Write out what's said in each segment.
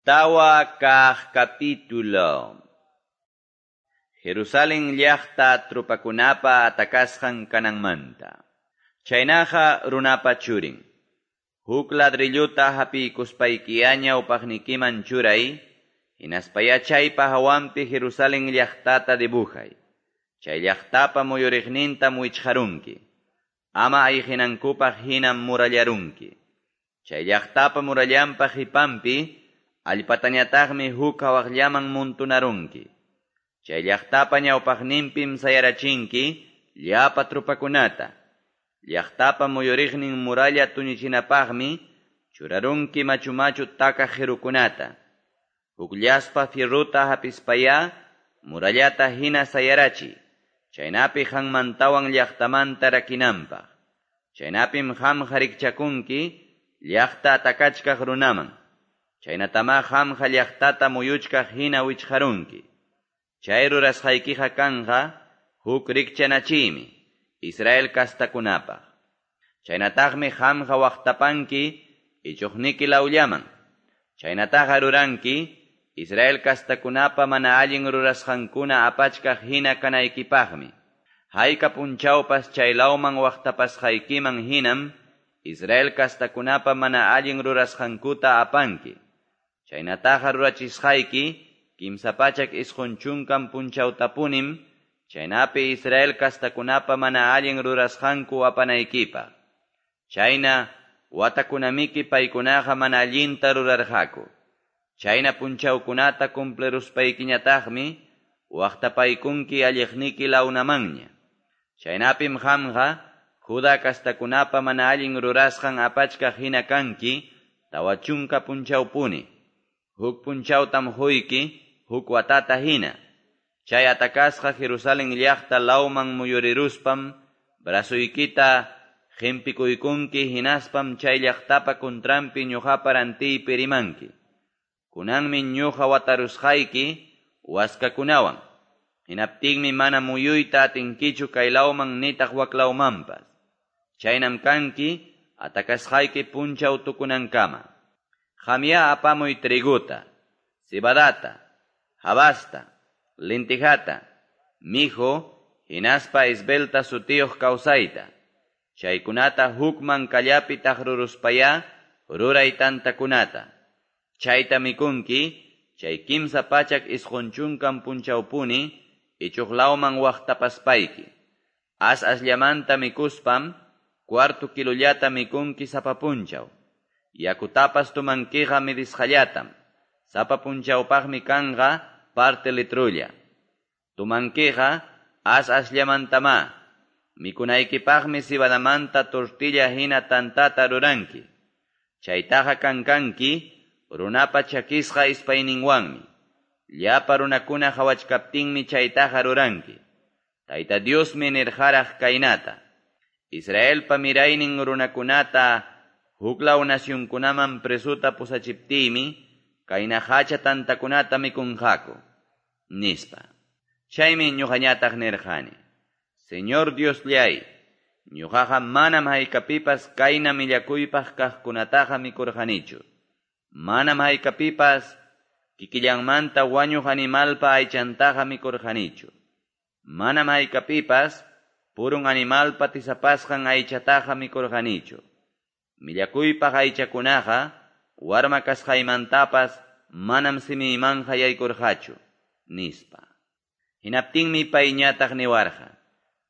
Tawa kaq capítulo. Jerusalén llaqta tropakunapa atakasqan kananmanta. Chaynaqa runapa churin. Huk ladrilluta hapiykuspaykiya ñawpaqnikiman churay, hinaspaya chaypa hawanpi Jerusalén llaqtata dibujay. Chay llaqtapa muyuriqnintam wichqarunki. Ama ayqinankupaq hinam murallarunki. Chay llaqtapa murallanpa qipanpi allpatañataqmi huk hawaqllaman muntunarunki. Chay llaqtapa ñawpaqninpim sayarachinki llapa tropakunata. Llaqtapa muyuriqnin muralla tuñichinapaqmi churarunki machu-machu takaq qirukunata. Hukllaspa fierruta hapispaya murallata hina sayarachiy. Chaynapi qanmantawan llaqtamanta rakinanpaq. Chaynapim qamqa rikchakunki llaqta atakachkaq runaman. Chaynatama qamqa llaqtata muyuchkaq hina wichqarunki. Chay rurasqaykiqa kanqa huk rikchanachiymi Israel kastakunapaq. Chaynataqmi qamqa waqtapanki ichuqniki lawllaman. Chaynataqa ruranki Israel kastakunapa mana allin rurasqankuna apachkaq hina kanaykipaqmi. Hayka punchawpas chay lawman waqtapasqaykiman hinam Israel kastakunapa mana allin rurasqankuta apanki. Chaynataqa rurachisqayki 390 punchawtapunim chaynapi Israel kastakunapa mana allin rurasqanku apanaykipaq. Chayna watakunamiki paykunaqa mana allinta rurarqaku. Chayna punchawkunata cumpliruspaykiñataqmi waqtapaykunki alliqniki lawnamanña. Chaynapim qamqa Judá kastakunapa mana allin rurasqan apachkaq hina kanki 40 punchawpuni. Huk punchawtam huyki huk watata hina. Chay atakasqa Jerusalén llaqta lawman muyuriruspam brazoykita qimpikuykunki hinaspam chay llaqtapa contranpi ñuqapa rantiypi rimanki. Kunanmi ñuqa watarusqayki waskakunawan. Hinaptinmi mana muyuyta atinkichu kay lawman nitaq waklawmanpas. Chaynam kanki atakasqayki punchaw tukunankama. Qamya apamuy triguta, cebadata, habasta, lentejata, mijo, hinaspa esbelta sutiyuq kawsayta. Chaykunata hukman kallapi taqruruspaya ruray tantakunata. Chayta mikunki, chay 390 punchawpuni ichuq lawman waqtapaspayki. As asllamanta mikuspam, cuarto kilollata mikunki sapa punchaw. Yakutapas tumankiqa midisqallatam. Sapa punchawpaqmi kanqa parte litrulla. Tumankiqa as asllamantama. Mikunaykipaqmi cebadamanta tortilla hina tantata ruranki. Chaytaqa kankanki runapa chakisqa ispayninwanmi. Llapa runakuna qhawachkaptinmi chaytaqa ruranki. Tayta Diosmi nirqaraq kaynata. Israelpa miraynin runakunata huklaw nacionkunaman presuta pusachiptiymi kayna hacha tantakunata mikunqaku, nispa. Chaymi ñuqañataq nirqani: Señor Diosllay, ñuqaqa manam haykapipas kayna millakuypaq kaqkunataqa mikurqanichu. Manam haykapipas kikillanmanta wañuq animalpa aychantaqa mikurqanichu. Manam haykapipas purun animalpa tisapasqan aychataqa mikurqanichu. Millakuypaq aychakunaqa warma kasqaymantapas manam simiymanqa yaykurqachu, nispa. Hinaptinmi payñataq niwarqa: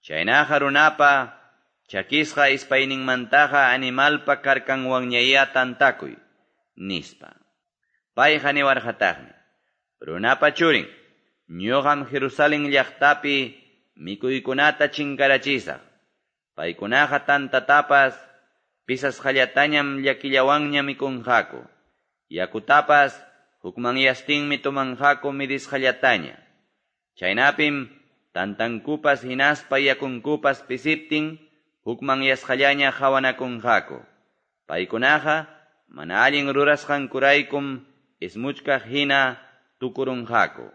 Chaynaqa runapa chakisqa ispayninmantaqa animalpa karkanwanñaya tantakuy, nispa. Payqa niwarqataqmi: Runapa churin, ñuqam Jerusalén llaqtapi mikuykunata chinkarachisaq. Paykunaqa tantatapas pisasqallatañam llakillawanña mikunqaku. Yakutapas hukmanyastinmi tumanqaku midisqallataña. Chaynapim tantankupas hinaspa yakunkupas pisiptin hukmanyasqallaña qhawanakunqaku. Paykunaqa mana allin rurasqankuraykum ismuchkaq hina tukurunqaku.